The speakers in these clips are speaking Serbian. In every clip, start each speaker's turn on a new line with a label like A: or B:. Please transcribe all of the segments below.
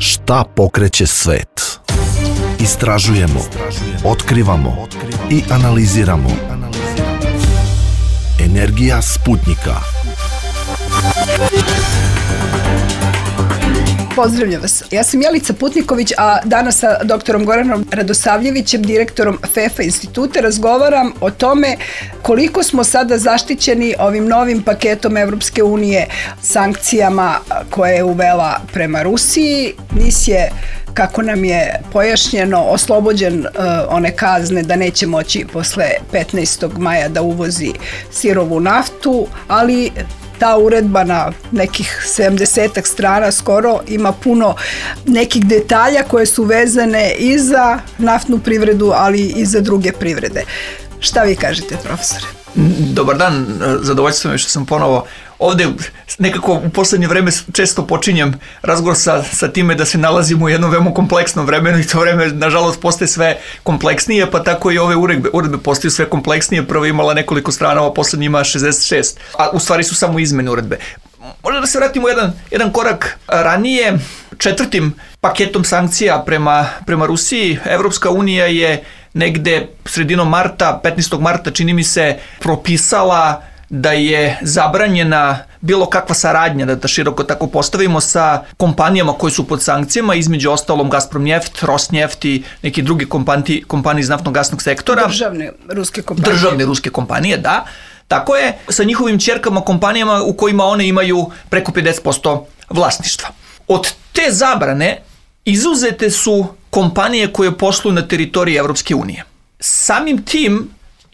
A: Šta pokreće svet? Istražujemo, otkrivamo i analiziramo. Energija Sputnika.
B: Pozdravljam vas. Ja sam Jelica Putniković, a danas sa doktorom Goranom Radosavljevićem, direktorom FEFA instituta, razgovaram o tome koliko smo sada zaštićeni ovim novim paketom Evropske unije, sankcijama koje je uvela prema Rusiji. NIS je, kako nam je pojašnjeno, oslobođen one kazne da neće moći posle 15. maja da uvozi sirovu naftu, ali ta uredba na nekih 70 strana skoro ima puno nekih detalja koje su vezane i za naftnu privredu, ali i za druge privrede. Šta vi kažete, profesore?
C: Dobar dan, zadovoljstvo mi što sam ponovo ovde. Nekako u poslednje vreme često počinjem razgovor sa time da se nalazimo u jednom veoma kompleksnom vremenu i to vreme nažalost postaje sve kompleksnije, pa tako i ove uredbe postaju sve kompleksnije. Prvo imala nekoliko strana, a poslednji ima 66, a u stvari su samo izmene uredbe. Možda da se vratimo jedan korak ranije. 4. paketom sankcija prema Rusiji Evropska unija je negde sredinom marta, 15. marta čini mi se, propisala da je zabranjena bilo kakva saradnja, da široko tako postavimo, sa kompanijama koje su pod sankcijama, između ostalom Gazpromneft, Rosneft i neki drugi kompanije iz naftno-gasnog sektora.
B: Državne ruske kompanije,
C: da. Tako je, sa njihovim ćerkama kompanijama u kojima one imaju preko 50% vlasništva. Od te zabrane izuzete su kompanije koje posluju na teritoriji Evropske unije. Samim tim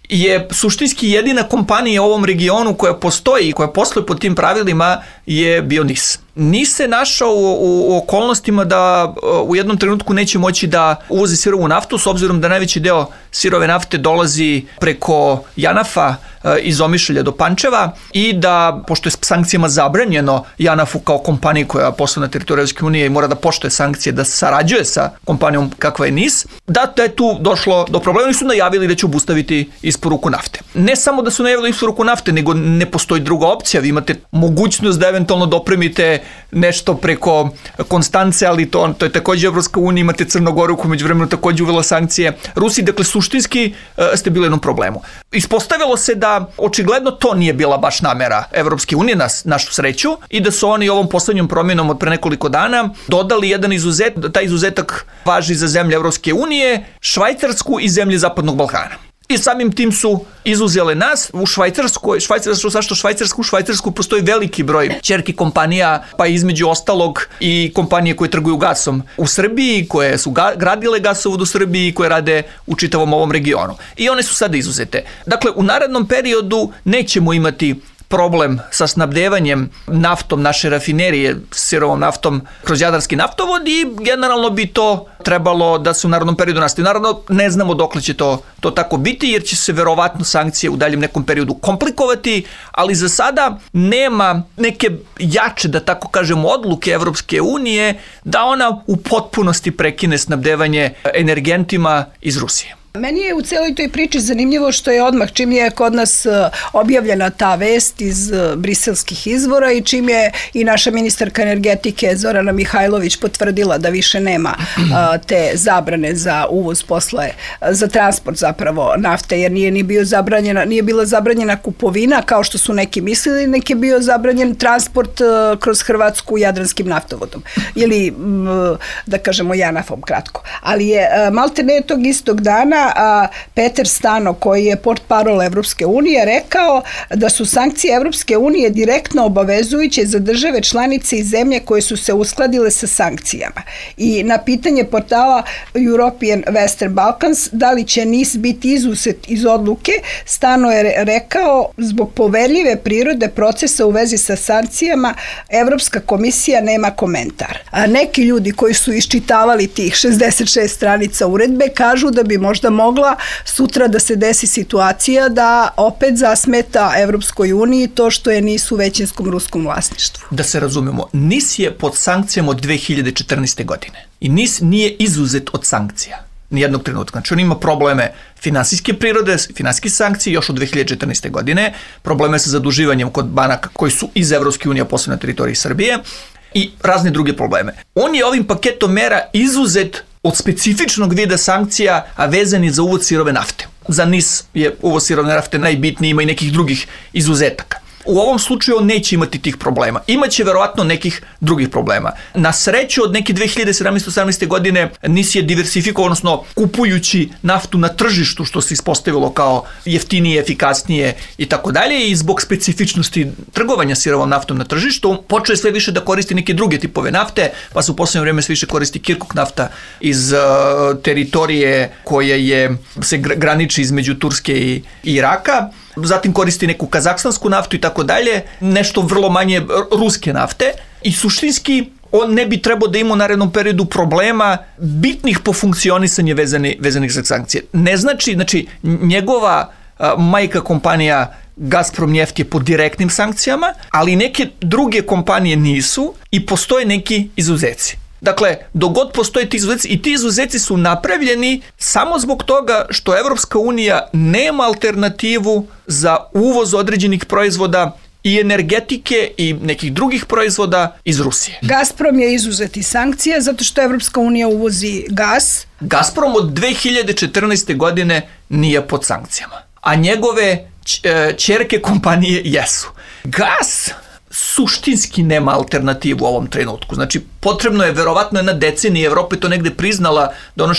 C: je suštinski jedina kompanija u ovom regionu koja postoji i koja posluje pod tim pravilima je bio NIS. NIS se našao u okolnostima da u jednom trenutku neće moći da uvozi sirovu naftu, s obzirom da najveći deo sirove nafte dolazi preko JANAF-a iz Omišlja do Pančeva i da, pošto je sankcijama zabranjeno JANAF-u kao kompaniji koja posluje na teritoriju Evropske unije i mora da poštuje sankcije, da sarađuje sa kompanijom kakva je NIS, da je tu došlo do problema. Oni su najavili da će obustaviti isporuku nafte. Ne samo da su najavili isporuku nafte, nego ne postoji druga opcija. Vi imate mogućnost da eventualno dopremite nešto preko Konstance, ali to je takođe Evropska unija, imate Crnu Goru koja međuvremeno takođe uvela sankcije Rusiji, dakle suštinski ste bili u jednom problemu. Ispostavilo se da očigledno to nije bila baš namera Evropske unije, na našu sreću, i da su oni ovom poslednjom promjenom od pre nekoliko dana dodali jedan izuzetak. Taj izuzetak važi za zemlje Evropske unije, Švajcarsku i zemlje Zapadnog Balkana. I samim tim su izuzele nas. U Švajcarsku postoji veliki broj ćerki kompanija, pa između ostalog i kompanije koje trguju gasom u Srbiji, koje su gradile gasovod u Srbiji i koje rade u čitavom ovom regionu. I one su sada izuzete. Dakle, u narednom periodu nećemo imati problem sa snabdevanjem naftom naše rafinerije, sirovom naftom kroz Jadarski naftovod, i generalno bi to trebalo da se u narednom periodu nastavi. Naravno, ne znamo dokle će to tako biti, jer će se verovatno sankcije u daljem nekom periodu komplikovati, ali za sada nema neke jače, da tako kažemo, odluke Evropske unije da ona u potpunosti prekine snabdevanje energentima iz Rusije.
B: Meni je u celoj toj priči zanimljivo što je odmah čim je kod nas objavljena ta vest iz briselskih izvora i čim je i naša ministarka energetike Zorana Mihajlović potvrdila da više nema te zabrane za uvoz za transport zapravo nafte, jer nije bila zabranjena kupovina kao što su neki mislili, nek je bio zabranjen transport kroz Hrvatsku jadranskim naftovodom ili da kažemo JANAF-om kratko. Ali je maltene tog istog dana Peter Stano, koji je portparol Evropske unije, rekao da su sankcije Evropske unije direktno obavezujuće za države članice i zemlje koje su se uskladile sa sankcijama. I na pitanje portala European Western Balkans da li će NIS biti izuzet iz odluke, Stano je rekao zbog poverljive prirode procesa u vezi sa sankcijama Evropska komisija nema komentar. A neki ljudi koji su iščitavali tih 66 stranica uredbe kažu da bi možda mogla sutra da se desi situacija da opet zasmeta Evropskoj uniji to što je NIS u većinskom ruskom vlasništvu.
C: Da se razumemo, NIS je pod sankcijama od 2014. godine i NIS nije izuzet od sankcija nijednog trenutka. Znači on ima probleme finansijske prirode, finansijske sankcije još od 2014. godine, probleme sa zaduživanjem kod banaka koji su iz Evropske unije, posebno na teritoriji Srbije, i razne druge probleme. On je ovim paketom mera izuzet od specifičnog vida sankcija, a vezani za uvoz sirove nafte. Za NIS je uvoz sirove nafte najbitniji, ima i nekih drugih izuzetaka. U ovom slučaju on neće imati tih problema. Imaće verovatno nekih drugih problema. Na sreću od neke 2017-18. godine NIS je diversifikovao, odnosno kupujući naftu na tržištu, što se ispostavilo kao jeftinije, efikasnije i tako dalje, i zbog specifičnosti trgovanja sirovom naftom na tržištu, počeo je sve više da koristi neke druge tipove nafte, pa se u poslednje vreme sve više koristi Kirkuk nafta iz teritorije koja se graniči između Turske i Iraka. Zatim koristi neku kazahstansku naftu i tako dalje, nešto vrlo manje ruske nafte, i suštinski on ne bi trebao da ima u narednom periodu problema bitnih po funkcionisanje vezanih za sankcije. Ne znači njegova majka kompanija Gazprom Neft je pod direktnim sankcijama, ali neke druge kompanije nisu i postoje neki izuzeci. Dakle, dok god postoje ti izuzeci, i ti izuzeci su napravljeni samo zbog toga što Evropska unija nema alternativu za uvoz određenih proizvoda i energetike i nekih drugih proizvoda iz Rusije.
B: Gazprom je izuzet iz sankcija zato što Evropska unija uvozi gas.
C: Gazprom od 2014. godine nije pod sankcijama, a njegove ćerke kompanije jesu. Gas suštinski nema alternativu u ovom trenutku. Znači, potrebno je verovatno jedna decenija, Evropa je to negde priznala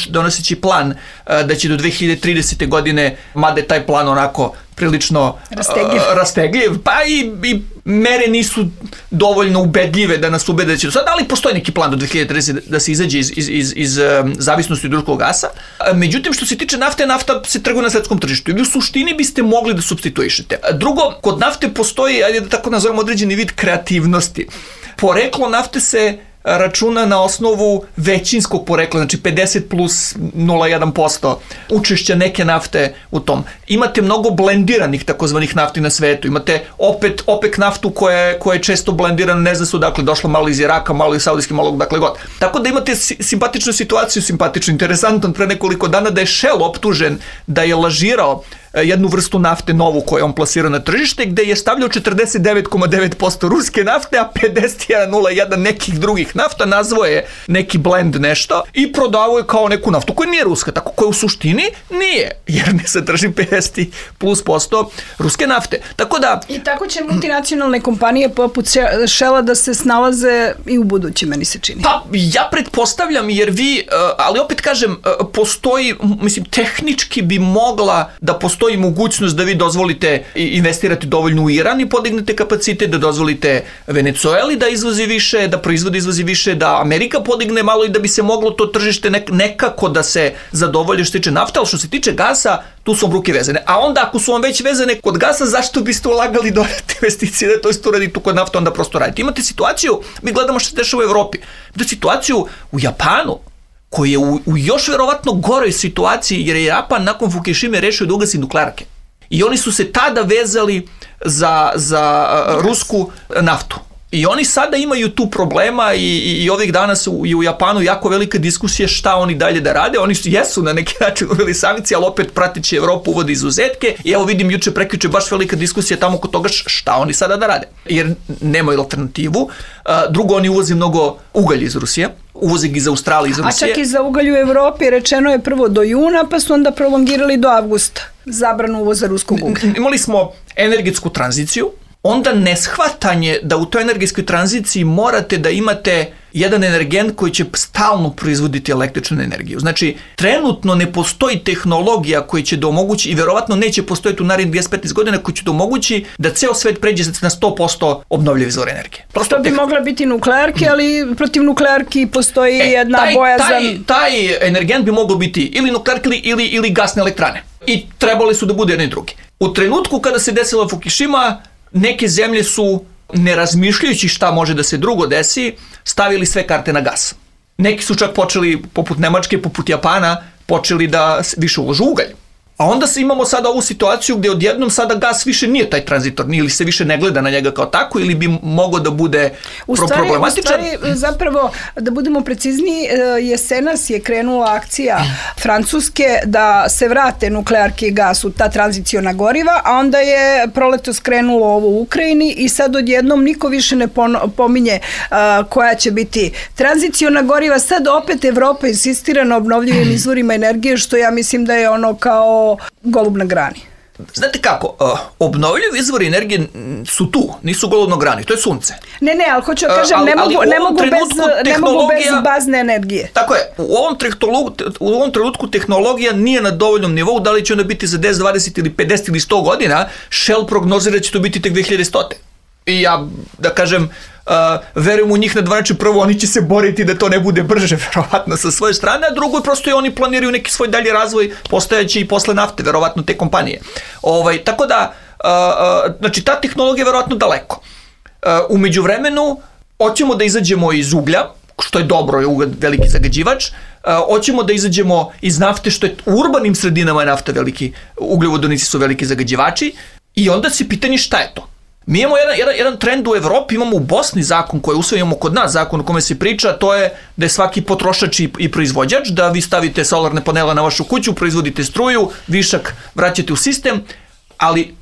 C: donoseći plan da će do 2030. godine, mada je taj plan onako prilično rastegljiv, pa i mere nisu dovoljno ubedljive da nas ubede da će do sada, ali postoji neki plan do 2030. da se izađe iz zavisnosti od ruskog gasa. Međutim, što se tiče nafte, nafta se trguje na svetskom tržištu i u suštini biste mogli da supstituišete. Drugo, kod nafte postoji, ajde da tako nazovemo, određeni vid kreativnosti. Poreklo nafte se računa na osnovu većinskog porekla, znači 50 plus 0,1% učešća neke nafte u tom. Imate mnogo blendiranih takozvanih nafti na svetu, imate opet OPEC naftu koja je često blendirana, ne zna se odakle došla, malo iz Iraka, malo iz Saudijske, malo dakle god. Tako da imate simpatičnu situaciju, interesantan, pre nekoliko dana da je Shell optužen da je lažirao jednu vrstu nafte novu koju on plasirao na tržište, gde je stavljao 49,9% ruske nafte, a 51,01% nekih drugih nafta, nazvao je neki blend nešto i prodavao je kao neku naftu koja nije ruska, tako koja u suštini nije, jer ne sadrži 50+% ruske nafte. Tako da...
B: I tako će multinacionalne kompanije poput Shella da se snalaze i u budući, meni se čini.
C: Pa, ja pretpostavljam, jer vi, ali opet kažem, postoji, mislim, tehnički bi mogla da postoji mogućnost da vi dozvolite investirati dovoljno u Iran i podignete kapacitet, da dozvolite Venezueli da izvozi više, da proizvodi izvozi više, da Amerika podigne malo i da bi se moglo to tržište nekako da se zadovolje što se tiče nafta, ali što se tiče gasa, tu su vam ruke vezane. A onda ako su vam već vezane kod gasa, zašto biste ulagali dodatne investicije da to isto uradite kod nafta, onda prosto radite. Imate situaciju, mi gledamo što se dešava u Evropi, imate situaciju u Japanu, koji je u još verovatno goroj situaciji, jer je Japan nakon Fukushime rešio da ugasi nuklearke. I oni su se tada vezali za rusku naftu. I oni sada imaju tu problema i ovih dana su i u Japanu jako velika diskusija šta oni dalje da rade. Oni jesu na neki način uveli sankcije, ali opet prateći Evropu uvode izuzetke. I evo vidim prekjuče baš velika diskusija tamo kod toga šta oni sada da rade. Jer nemaju alternativu. Drugo, oni uvoze mnogo ugalja iz Rusije. Uvoze ga iz Australije, iz Rusije.
B: A čak i za ugalj u Evropi rečeno je prvo do juna, pa su onda prolongirali do avgusta zabranu uvoza ruskog uglja.
C: Imali smo energetsku tranziciju, onda neshvatanje da u toj energetskoj tranziciji morate da imate jedan energent koji će stalno proizvoditi električnu energiju. Znači, trenutno ne postoji tehnologija koja će da omogući, i verovatno neće postojiti u narednih 10-15 godina, koja će da omogući da ceo svet pređe na 100% obnovljive izvore energije.
B: Prosto bi mogla biti nuklearke, ali protiv nuklearki postoji jedna bojazan.
C: Taj energent bi mogao biti ili nuklearke ili gasne elektrane. I trebali su da bude jedni i drugi. U trenutku kada se desila Fukushima, neke zemlje su, ne razmišljajući šta može da se drugo desi, stavili sve karte na gas. Neki su čak počeli, poput Nemačke, poput Japana, počeli da više uložu ugalj. A onda imamo sada ovu situaciju gdje odjednom sada gas više nije taj tranzitorni ili se više ne gleda na njega kao tako ili bi mogao da bude problematičan.
B: U stvari, zapravo, da budemo precizniji, jesenas je krenula akcija Francuske da se vrate nuklearke i gas u ta tranziciona goriva, a onda je proletos krenulo ovo u Ukrajini i sad odjednom niko više ne pominje koja će biti tranziciona goriva. Sad opet Evropa insistira na obnovljivim izvorima energije, što ja mislim da je ono kao golub na grani.
C: Znate kako, obnovljivi izvori energije su tu, nisu golub na grani, to je sunce.
B: Ne, ali hoću da kažem, ne mogu bez bazne energije.
C: Tako je, u ovom trenutku tehnologija nije na dovoljnom nivou, da li će ona biti za 10, 20 ili 50 ili 100 godina, Shell prognozira da će to biti tek 2100. I ja, da kažem, verujem u njih na dva načina. Prvo, oni će se boriti da to ne bude brže, verovatno, sa svoje strane, a drugo, prosto i oni planiraju neki svoj dalji razvoj, postojeći i posle nafte, verovatno, te kompanije. Tako da, znači, ta tehnologija je verovatno daleko. U međuvremenu, hoćemo da izađemo iz uglja, što je dobro, je ugalj veliki zagađivač, hoćemo da izađemo iz nafte, što je u urbanim sredinama je nafta veliki, ugljovodonici su veliki zagađivači, i onda se pitanje šta je to. Mi imamo jedan trend u Evropi, imamo u Bosni zakon koji usvojimo kod nas, zakon o kome se priča, to je da je svaki potrošač i proizvođač, da vi stavite solarne panele na vašu kuću, proizvodite struju, višak vraćate u sistem, ali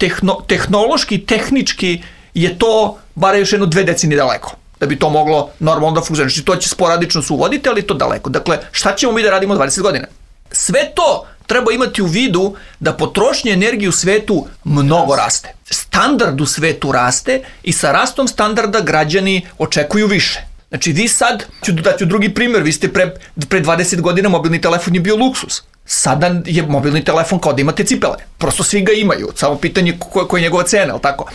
C: tehnološki, tehnički je to bar još 2 decenije daleko, da bi to moglo normalno da funkcionira. Znači, to će sporadično se uvoditi, ali to daleko. Dakle, šta ćemo mi da radimo 20 godina? Sve to treba imati u vidu da potrošnja energije u svetu mnogo raste. Standard u svetu raste i sa rastom standarda građani očekuju više. Znači vi sad, daću drugi primjer, vi ste pre 20 godina mobilni telefon je bio luksus. Sada je mobilni telefon kao da imate cipele. Prosto svi ga imaju, samo pitanje koja je njegova cena, ali tako?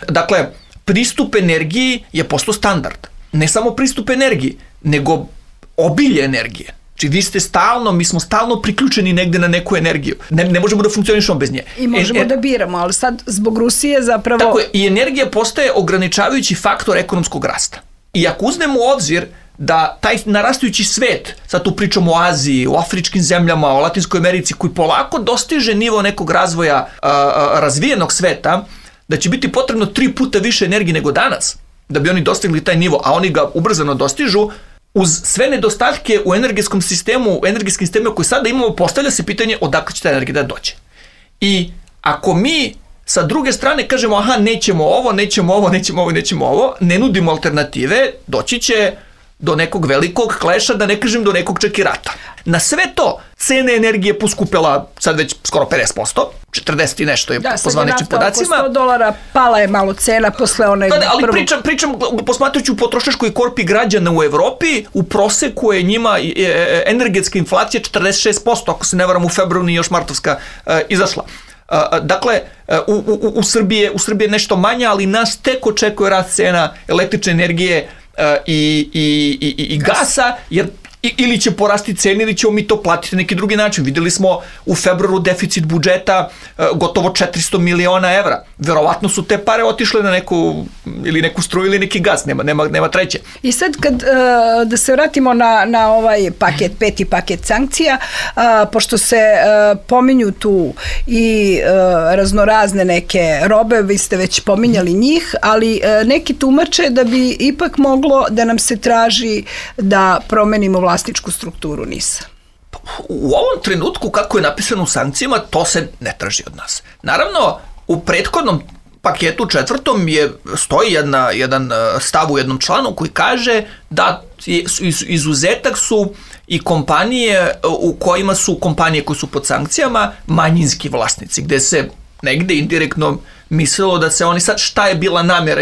C: Dakle, pristup energiji je postao standard. Ne samo pristup energiji, nego obilje energije. Znači mi smo stalno priključeni negde na neku energiju. Ne možemo da funkcionišemo bez nje.
B: I možemo da biramo, ali sad zbog Rusije zapravo...
C: Tako je, i energija postaje ograničavajući faktor ekonomskog rasta. I ako uzmemo u obzir da taj narastajući svet, sad tu pričamo o Aziji, o afričkim zemljama, o Latinskoj Americi, koji polako dostiže nivo nekog razvoja razvijenog sveta, da će biti potrebno 3 puta više energije nego danas, da bi oni dostigli taj nivo, a oni ga ubrzano dostižu, uz sve nedostatke u energetskim sistemima koje sada imamo, postavlja se pitanje odakle će ta energija da dođe. I ako mi sa druge strane kažemo nećemo ovo, ne nudimo alternative, doći će do nekog velikog kleša, da ne kažem do nekog čak i rata. Na sve to, cene energije poskupela sad već skoro 50%, 40 i nešto je po zvaničnim podacima.
B: Da, sad je nafta oko $100, pala je malo cena posle one...
C: Ali pričam posmatrajući u potrošačkoj korpi građana u Evropi, u proseku je njima energetska inflacija 46%, ako se ne varam u februaru nije još martovska izašla. Dakle, u Srbiji je nešto manje, ali nas tek očekuje rast cena električne energije i gasa, jer ili će porasti cene ili ćemo mi to platiti na neki drugi način. Vidjeli smo u februaru deficit budžeta gotovo 400 miliona evra. Verovatno su te pare otišle na neku struju ili neki gas, nema treće.
B: I sad da se vratimo na ovaj paket, 5. paket sankcija, pošto se pominju tu i raznorazne neke robe, vi ste već pominjali njih, ali neki tumače da bi ipak moglo da nam se traži da promenimo vlasničku strukturu NIS-a.
C: U ovom trenutku, kako je napisano u sankcijama, to se ne traži od nas. Naravno, u prethodnom paketu 4. stoji jedan stav u jednom članu koji kaže da izuzetak su i kompanije u kojima su kompanije koje su pod sankcijama manjinski vlasnici, gde se negde indirektno mislilo da se oni sad, šta je bila namjera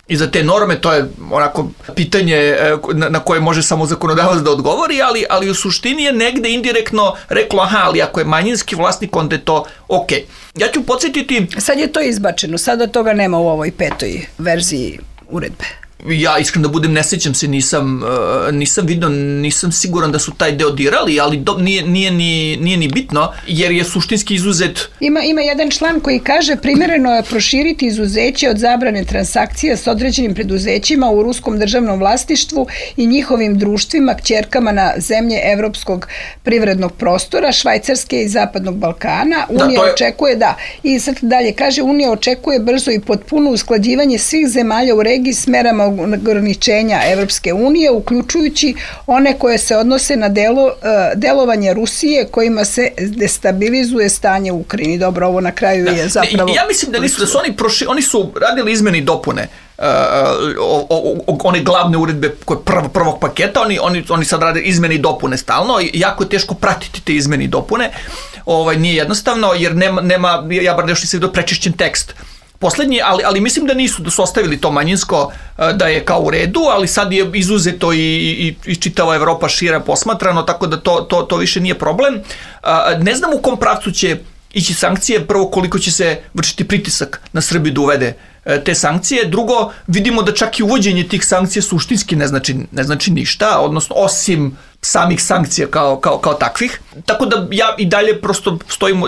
C: iza te norme, to je onako pitanje na koje može samo zakonodavac da odgovori, ali u suštini je negde indirektno reklo, ali ako je manjinski vlasnik, onda je to ok. Ja ću podsjetiti...
B: Sad je to izbačeno, sada toga nema u ovoj 5. verziji uredbe.
C: Ja iskreno da budem, ne sjećam se, nisam vidio, nisam siguran da su taj deo dirali, ali nije ni bitno, jer je suštinski izuzet.
B: Ima jedan član koji kaže primjereno je proširiti izuzeće od zabrane transakcija s određenim preduzećima u ruskom državnom vlasništvu i njihovim društvima, kćerkama na zemlje evropskog privrednog prostora, Švajcarske i Zapadnog Balkana. Unija očekuje, i sad dalje kaže, Unija očekuje brzo i potpuno usklađivanje svih zemalja u regiji s merama ograničenja Evropske unije, uključujući one koje se odnose na delovanje Rusije kojima se destabilizuje stanje u Ukrajini. Dobro, ovo na kraju je zapravo...
C: Ja mislim da nisu, da su oni su radili izmene i dopune one glavne uredbe koje prvog paketa, oni sad rade izmene i dopune stalno i jako je teško pratiti te izmene i dopune. Nije jednostavno, jer nema, ja bar nešto nisam vidio prečišćen tekst poslednji, ali mislim da su ostavili to manjinsko, da je kao u redu, ali sad je izuzeto i čitava Evropa šira posmatrano, tako da to više nije problem. Ne znam u kom pravcu će ići sankcije, prvo koliko će se vršiti pritisak na Srbiju da uvede te sankcije, drugo vidimo da čak i uvođenje tih sankcija suštinski ne znači ništa, odnosno osim samih sankcija kao takvih. Tako da ja i dalje prosto stojim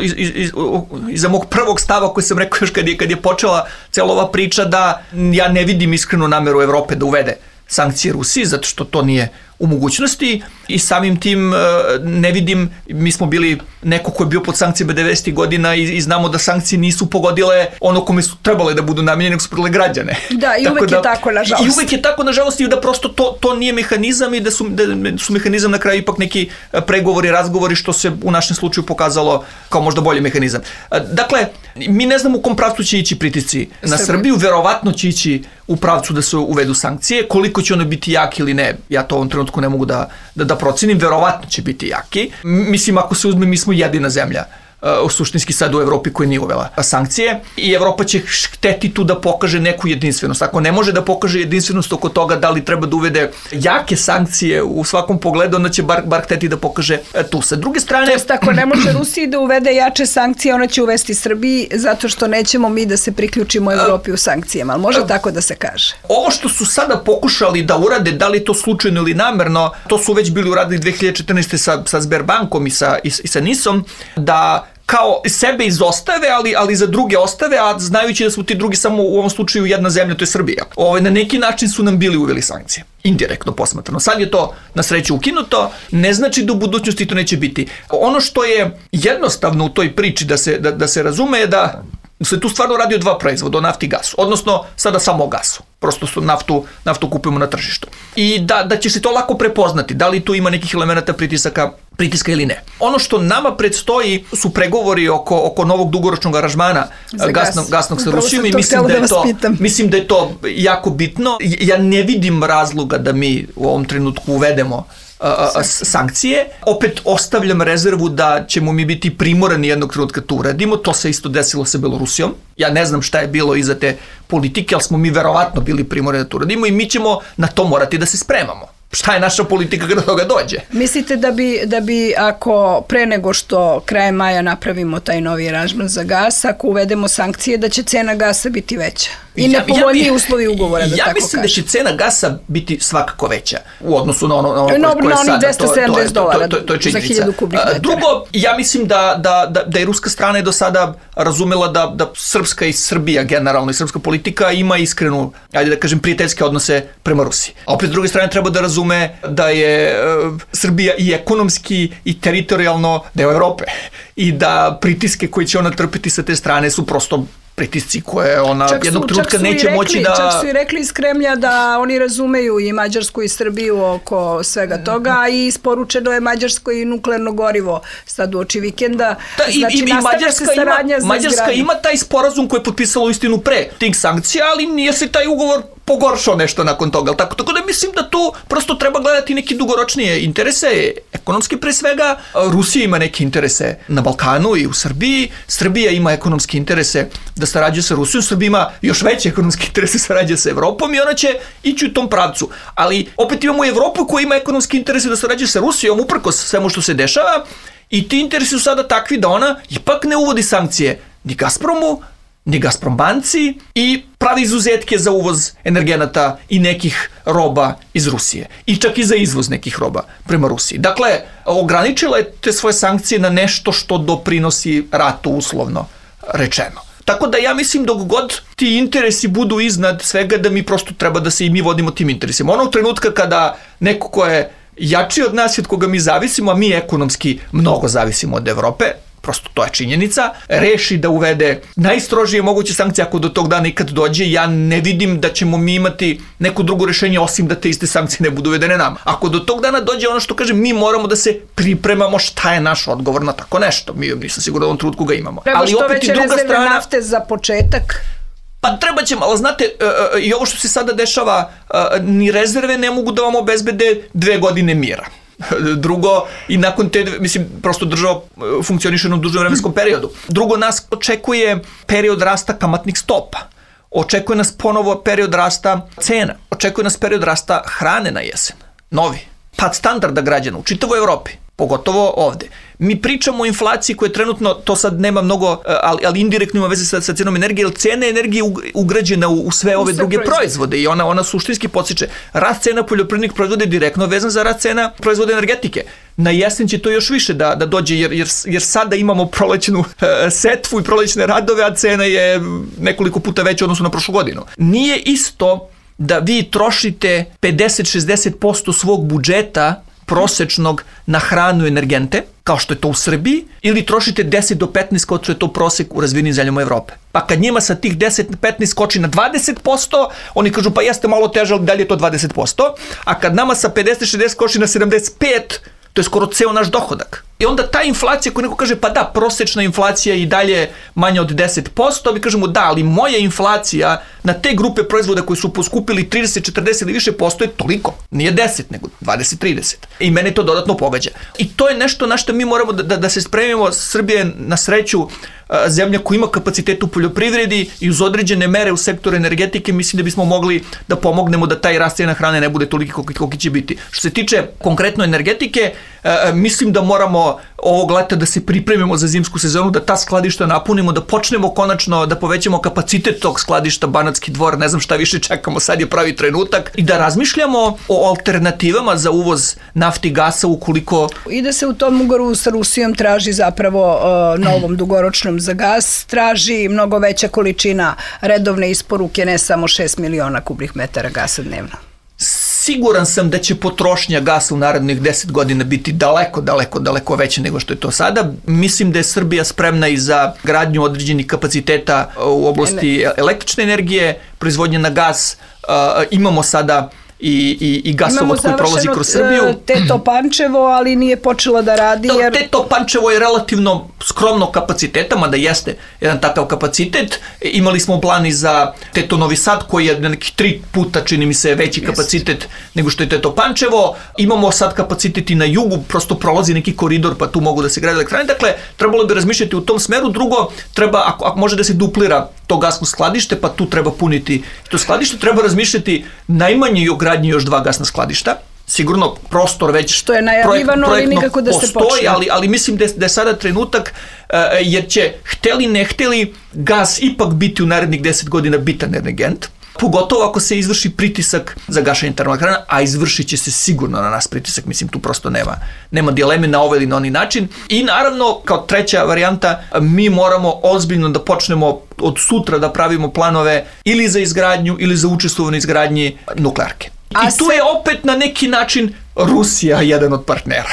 C: iza mog prvog stava koji sam rekao još kad je počela cela ova priča, da ja ne vidim iskrenu nameru Evrope da uvede sankcije Rusiji, zato što to nije u mogućnosti i samim tim ne vidim, mi smo bili neko ko je bio pod sankcijama 90. godina i znamo da sankcije nisu pogodile ono kome su trebale da budu namijenjene, nego su pogodile građane.
B: Da, i uvek je tako, nažalost.
C: I uvek je tako, nažalost, i da prosto to nije mehanizam i da su mehanizam na kraju ipak neki pregovori, razgovori, što se u našem slučaju pokazalo kao možda bolji mehanizam. Dakle, mi ne znamo u kom pravcu će ići pritisci na Srbiju, verovatno će ići u pravcu da se uvedu sankcije, koliko će ono biti jaki ili ne, ja to u ovom trenutku ne mogu da procenim, verovatno će biti jaki. Mislim, ako se uzme, mi smo jedina zemlja suštinski sad u Evropi koja nije uvela sankcije i Evropa će hteti tu da pokaže neku jedinstvenost. Ako ne može da pokaže jedinstvenost oko toga da li treba da uvede jake sankcije u svakom pogledu, onda će bar hteti da pokaže tu. Sa druge strane...
B: To jest, ako ne može Rusiji da uvede jače sankcije, ona će uvesti Srbiji zato što nećemo mi da se priključimo Evropi u sankcijama. Ali može tako da se kaže?
C: Ovo što su sada pokušali da urade, da li to slučajno ili namerno, to su već bili uradili 2014. sa Sberbankom i sa NIS-om, da kao sebe izostave, ali za druge ostave, a znajući da su ti drugi samo u ovom slučaju jedna zemlja, to je Srbija. Na neki način su nam bili uveli sankcije. Indirektno posmatrano. Sad je to na sreću ukinuto, ne znači da u budućnosti to neće biti. Ono što je jednostavno u toj priči da se razume je da se tu stvarno radi o dva proizvoda, o nafti i gasu, odnosno sada samo o gasu. Prosto su naftu kupujemo na tržištu. I da će se to lako prepoznati, da li tu ima nekih elemenata pritiska ili ne. Ono što nama predstoji su pregovori oko novog dugoročnog aranžmana gasnog sa Rusijom i mislim da je to jako bitno. Ja ne vidim razloga da mi u ovom trenutku uvedemo sankcije. Opet ostavljam rezervu da ćemo mi biti primorani jednog trenutka to uradimo. To se isto desilo sa Belorusijom. Ja ne znam šta je bilo iza te politike, ali smo mi verovatno bili primorani da to uradimo i mi ćemo na to morati da se spremamo. Šta je naša politika kada toga dođe?
B: Mislite da bi ako pre nego što krajem maja napravimo taj novi aranžman za gas, ako uvedemo sankcije, da će cena gasa biti veća? I nepovoljniji uslovi ugovora, da tako kažem.
C: Ja mislim da će cena gasa biti svakako veća u odnosu na ono koje je sada.
B: $270
C: to je činjenica.
B: Za 1000 kubnih metara.
C: Drugo, ja mislim da je ruska strana do sada razumela da Srpska i Srbija generalno i srpska politika ima iskrenu, ajde da kažem, prijateljske odnose prema Rusiji. A opet s druge strane treba da razume da je Srbija i ekonomski i teritorijalno deo Evrope i da pritiske koje će ona trpiti sa te strane su prosto pritisci koje ona jednog trenutka neće moći da...
B: Čak su i rekli iz Kremlja da oni razumeju i Mađarsku i Srbiju oko svega toga i isporučeno je Mađarskoj i nuklearno gorivo sad u oči vikenda. Znači, nastavlja se saradnja za
C: Mađarska ima taj sporazum koji je potpisala u istinu pre tih sankcija, ali nije se taj ugovor pogoršao nešto nakon toga. Tako da mislim da tu prosto treba gledati neke dugoročnije interese, ekonomski pre svega. Rusija ima neke interese na Balkanu i u Srbiji. Srbija ima ekonomske interese da sarađuje sa Rusijom. Srbija ima još veće ekonomske interese sarađuje sa Evropom i ona će ići u tom pravcu. Ali opet imamo Evropu koja ima ekonomske interese da sarađuje sa Rusijom uprkos svemu što se dešava i ti interesi su sada takvi da ona ipak ne uvodi sankcije ni Gazpromu, ni Gazprombanci i pravi izuzetke za uvoz energenata i nekih roba iz Rusije. I čak i za izvoz nekih roba prema Rusiji. Dakle, ograničila je te svoje sankcije na nešto što doprinosi ratu, uslovno rečeno. Tako da ja mislim dok god ti interesi budu iznad svega, da mi prosto treba da se i mi vodimo tim interesima. Onog trenutka kada neko ko je jači od nas i od koga mi zavisimo, a mi ekonomski mnogo zavisimo od Evrope, prosto to je činjenica, reši da uvede najstrožije moguće sankcije, ako do tog dana ikad dođe, ja ne vidim da ćemo mi imati neko drugo rešenje osim da te iste sankcije ne budu uvedene nama. Ako do tog dana dođe, ono što kažem, mi moramo da se pripremamo šta je naš odgovor na tako nešto. Mi nisam sigurno u ovom trutku ga imamo.
B: Treba što veće rezerve nafte za početak.
C: Pa treba ćemo, ali znate, i ovo što se sada dešava, ni rezerve ne mogu da vam obezbede 2 godine mira. Drugo, i nakon te, mislim, prosto država funkcioniše na dužem vremenskom periodu. Drugo, nas očekuje period rasta kamatnih stopa. Očekuje nas ponovo period rasta cena. Očekuje nas period rasta hrane na jesen. Novi. Pad standarda građana u čitavoj Evropi. Pogotovo ovde. Mi pričamo o inflaciji koja je trenutno, to sad nema mnogo, ali indirektno ima veze sa cenom energije, jer cena energije je ugrađena u sve ove druge proizvode i ona suštinski podstiče. Rast cena poljoprivrednih proizvoda je direktno vezan za rast cena proizvoda energetike. Na jesen će to još više da dođe, jer sada imamo prolećnu setvu i prolećne radove, a cena je nekoliko puta veća odnosno na prošlu godinu. Nije isto da vi trošite 50-60% svog budžeta prosečnog na hranu i energente, kao što je to u Srbiji, ili trošite 10 do 15 kao što je to prosek u razvijenim zemljama Evrope. Pa kad njima sa tih 10-15 skoči na 20%, oni kažu pa jeste malo teže, ali dalje je to 20%, a kad nama sa 50-60 skoči na 75%, to je skoro ceo naš dohodak. I onda ta inflacija, ako neko kaže pa da, prosečna inflacija i dalje manja od 10%, mi kažemo da, ali moja inflacija na te grupe proizvoda koji su poskupili 30, 40 ili više posto je toliko. Nije 10, nego 20-30. I mene to dodatno pogađa. I to je nešto na što mi moramo da se spremimo. Srbija je na sreću zemlja koja ima kapacitet u poljoprivredi i uz određene mere u sektoru energetike mislim da bismo mogli da pomognemo da taj rast cena hrane ne bude toliki koliki će biti. Što se tiče konkretno energetike, mislim da moramo ovog leta da se pripremimo za zimsku sezonu, da ta skladišta napunimo, da počnemo konačno da povećamo kapacitet tog skladišta Banatski Dvor, ne znam šta više čekamo, sad je pravi trenutak, i da razmišljamo o alternativama za uvoz nafti i gasa ukoliko...
B: I da se u tom ugovoru sa Rusijom traži zapravo novom dugoročnom za gas, traži mnogo veća količina redovne isporuke, ne samo 6 miliona kubnih metara gasa dnevno.
C: Siguran sam da će potrošnja gasa u narednih 10 godina biti daleko veća nego što je to sada. Mislim da je Srbija spremna i za gradnju određenih kapaciteta u oblasti električne energije, proizvodnje na gas. Imamo sada i gasovod koji prolazi kroz Srbiju.
B: Imamo Teto Pančevo, ali nije počelo da radi. Jer...
C: Teto Pančevo je relativno skromno kapaciteta, mada jeste jedan takav kapacitet. Imali smo plan i za Teto Novi Sad, koji je nekih 3 puta, čini mi se, veći kapacitet nego što je Teto Pančevo. Imamo sad kapacitet i na jugu, prosto prolazi neki koridor, pa tu mogu da se grade elektrane. Dakle, trebalo bi razmišljati u tom smeru. Drugo, treba, ako može da se duplira to gasno skladište, pa tu treba puniti to skladište. Treba razmišljati najmanje i o gradnji još 2 gasna skladišta. Sigurno prostor već
B: što je najavljivano, ali nikako da se počne.
C: Ali mislim da je sada trenutak, jer će, hteli ne hteli, gas ipak biti u narednih 10 godina bitan energent. Pogotovo ako se izvrši pritisak za gašenje termoelektrana, a izvršit će se sigurno na nas pritisak, mislim tu prosto nema dileme na ovaj ili na onaj način. I naravno, kao treća varijanta, mi moramo ozbiljno da počnemo od sutra da pravimo planove ili za izgradnju ili za učestvovanje izgradnji nuklearke. I tu je opet na neki način Rusija jedan od partnera.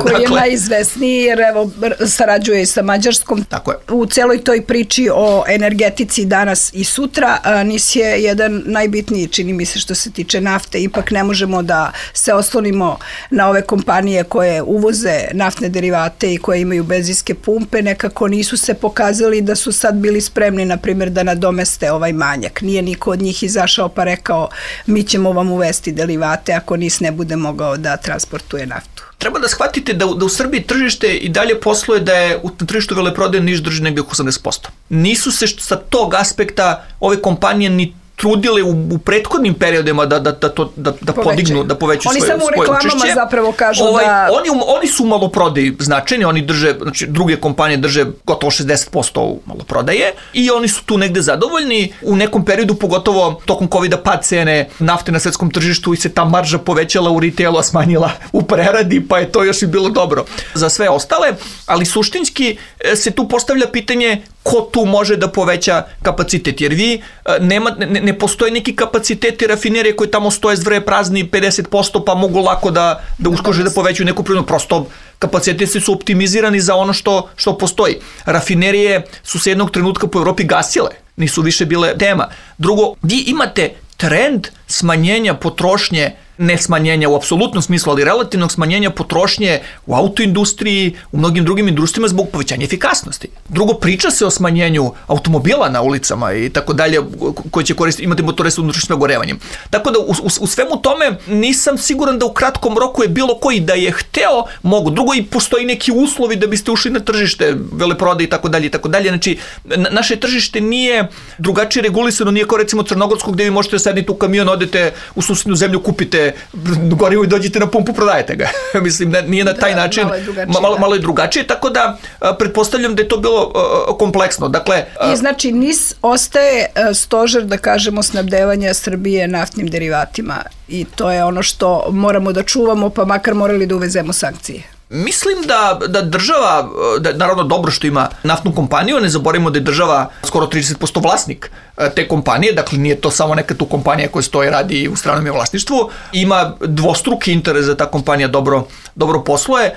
B: Koji je najizvesniji, jer evo sarađuje i sa Mađarskom.
C: Tako je.
B: U celoj toj priči o energetici danas i sutra, NIS je jedan najbitniji, čini mi se, što se tiče nafte. Ipak ne možemo da se oslonimo na ove kompanije koje uvoze naftne derivate i koje imaju benzinske pumpe. Nekako nisu se pokazali da su sad bili spremni, na primjer, da nadomeste ovaj manjak. Nije niko od njih izašao pa rekao mi ćemo vam uvesti derivate ako NIS ne bude mogao da transportuje naftu.
C: Treba da shvatite da u Srbiji tržište i dalje posluje da je na tržištu veleprodaje NIS drži negde oko 80%. Nisu se sa tog aspekta ove kompanije ni trudile u prethodnim periodima da podignu, da povećaju svoje učešće.
B: Oni samo u reklamama zapravo kažu da...
C: Oni su u maloprodaji značajni, oni drže, znači druge kompanije drže gotovo 60% u maloprodaje i oni su tu negde zadovoljni. U nekom periodu, pogotovo tokom COVID-a, pad cene nafte na svetskom tržištu i se ta marža povećala u retailu, a smanjila u preradi, pa je to još i bilo dobro za sve ostale, ali suštinski se tu postavlja pitanje ko tu može da poveća kapacitet, jer vi ne postoje neki kapaciteti rafinerije koji tamo stoje zvre prazni 50%, pa mogu lako da uskože da povećaju neku prirodnu, prosto kapaciteti su optimizirani za ono što postoji. Rafinerije su se jednog trenutka po Evropi gasile, nisu više bile tema. Drugo, vi imate trend smanjenja potrošnje, ne smanjenja u apsolutnom smislu, ali relativnog smanjenja potrošnje u autoindustriji, u mnogim drugim industrijama zbog povećanja efikasnosti. Drugo, priča se o smanjenju automobila na ulicama i tako dalje, koji će imati motore sa unutrašnjim sagorevanjem. Tako da u svemu tome nisam siguran da u kratkom roku je bilo koji da je hteo mogu. Drugo, i postoji neki uslovi da biste ušli na tržište, veleprodaje i tako dalje i tako dalje. Znači, naše tržište nije drugačije regulisano, nije kao recimo Crnogorsko gdje vi možete sedniti u kamion, odete u susednu zemlju, kupite gorivo i dođete na pumpu, prodajete ga. Mislim, nije na taj način, malo je drugačije, tako da pretpostavljam da je to bilo kompleksno. Dakle,
B: i znači NIS ostaje stožer, da kažemo, snabdevanja Srbije naftnim derivatima i to je ono što moramo da čuvamo, pa makar morali da uvezemo sankcije.
C: Mislim da država, naravno dobro što ima naftnu kompaniju, ne zaboravimo da je država skoro 30% vlasnik te kompanije, dakle nije to samo neka tu kompanija koja stoji radi u stranom vlasništvu, ima dvostruki interes da ta kompanija dobro posluje.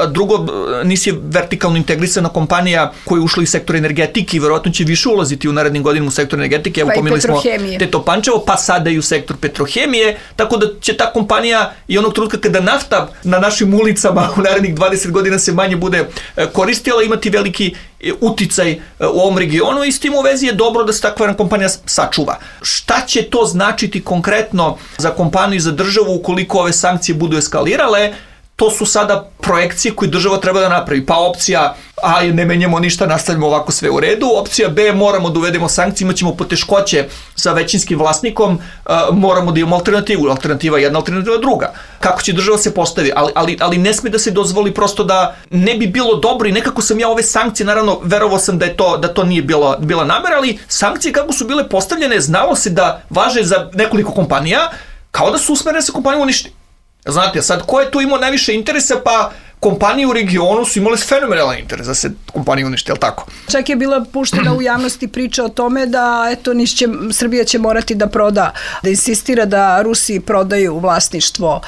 C: Drugo, NIS je vertikalno integrisana kompanija koja je ušla iz sektora energetike i verovatno će više ulaziti u narednim godinama u sektor energetike.
B: Pa i Petrohemije.
C: Teto Pančevo, pa sada i u sektor Petrohemije, tako da će ta kompanija i onog trenutka kada nafta na našim ulicama u narednih 20 godina se manje bude koristila, imati veliki uticaj u ovom regionu i s tim u vezi je dobro da se takva jedna kompanija sačuva. Šta će to značiti konkretno za kompaniju i za državu ukoliko ove sankcije budu eskalirale? To su sada projekcije koje država treba da napravi. Pa opcija A, ne menjamo ništa, nastavljamo ovako sve u redu. Opcija B, moramo da uvedemo sankcije, imat ćemo poteškoće sa većinskim vlasnikom, moramo da imamo alternativu. Alternativa jedna, alternativa druga. Kako će država se postavi? Ali ne sme da se dozvoli prosto da ne bi bilo dobro i nekako sam ja ove sankcije, naravno, verovao sam da to nije bila namera, ali sankcije kako su bile postavljene, znalo se da važe za nekoliko kompanija, kao da su usmerene da se kompaniju uništi. Znate, sad ko je tu imao najviše interesa, pa kompanije u regionu su imale fenomenalan interes da se kompanije uništi, je li tako?
B: Čak je bila puštena u javnosti priča o tome da Srbija će morati da proda, da insistira da Rusi prodaju vlasništvo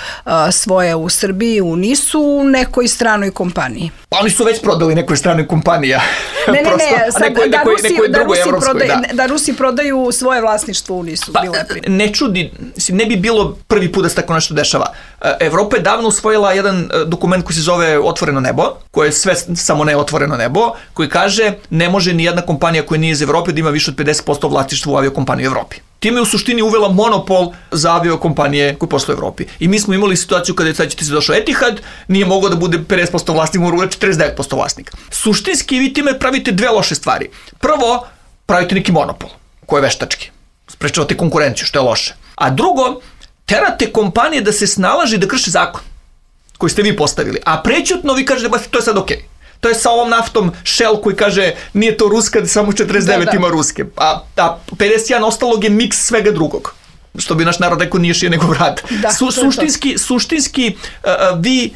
B: svoje u Srbiji, u NIS-u, u nekoj stranoj kompaniji.
C: Pa oni su već prodali nekoj stranoj kompaniji.
B: Da Rusi prodaju svoje vlasništvo u NIS-u.
C: Ne čudi, ne bi bilo prvi put da se tako nešto dešava. Evropa je davno usvojila jedan dokument koji se zove Otvoreno nebo, koje je sve samo ne otvoreno nebo, koji kaže ne može ni jedna kompanija koja nije iz Evrope da ima više od 50% vlasništva u aviokompaniji u Evropi. Time je u suštini uvela monopol za aviokompanije koje posluju u Evropi. I mi smo imali situaciju kada je sad ćete se došao Etihad, nije mogao da bude 50% vlasnik, mora uveć 49% vlasnika. Suštinski vi time pravite dve loše stvari. Prvo, pravite neki monopol, koji je veštački. Sprečavate konkurenciju, što je loše. A drugo, terate kompanije da se snalaže i da krše zakon koji ste vi postavili. A prećutno vi kažete, to je sad okej. To je sa ovom naftom Shell koji kaže nije to ruska, samo 49 ima ruske. A 51 ostalog je miks svega drugog. Što bi naš narod rekao, nije šije nego vrat. Suštinski vi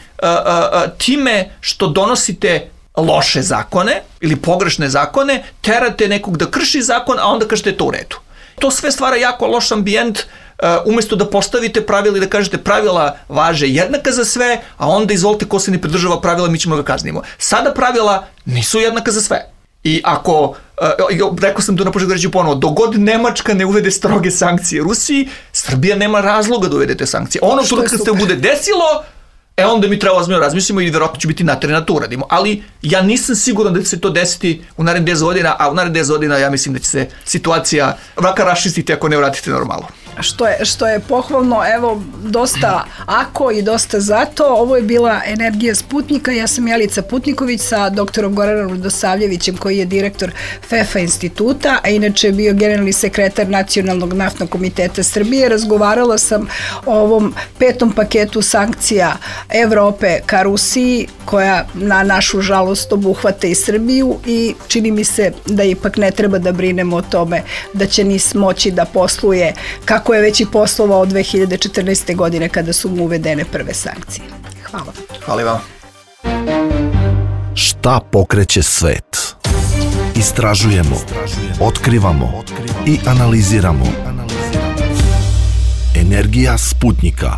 C: time što donosite loše zakone ili pogrešne zakone, terate nekog da krši zakon, a onda kažete to u redu. To sve stvara jako loš ambijent, umjesto da postavite pravila i da kažete pravila važe jednaka za sve, a onda izvolite ko se ne pridržava pravila, mi ćemo ga kaznimo. Sada pravila nisu jednaka za sve. I ako, rekao sam to na početku reći ponovo, dogod Nemačka ne uvede stroge sankcije Rusiji, Srbija nema razloga da uvede te sankcije. Ono što kad se bude desilo, onda mi treba ozbiljno razmislimo i vjerojatno će biti naterani da to uradimo. Ali ja nisam siguran da će se to desiti u narednih 10 godina, a u narednih 10 godina ja mislim da će se situacija vraka raščistiti ako ne vratite normalno.
B: što je pohvalno, evo, dosta ako i dosta zato. Ovo je bila Energija Sputnika. Ja sam Jelica Putniković sa doktorom Goranom Radosavljevićem, koji je direktor FEFA instituta, a inače je bio generalni sekretar Nacionalnog naftnog komiteta Srbije. Razgovarala sam o ovom 5. paketu sankcija Evrope ka Rusiji, koja na našu žalost obuhvata i Srbiju, i čini mi se da ipak ne treba da brinemo o tome da će NIS moći da posluje kako je već i poslovao od 2014. godine kada su mu uvedene prve sankcije. Hvala.
C: Hvala vam.
A: Šta pokreće svet? Istražujemo, otkrivamo i analiziramo. Energija Sputnika.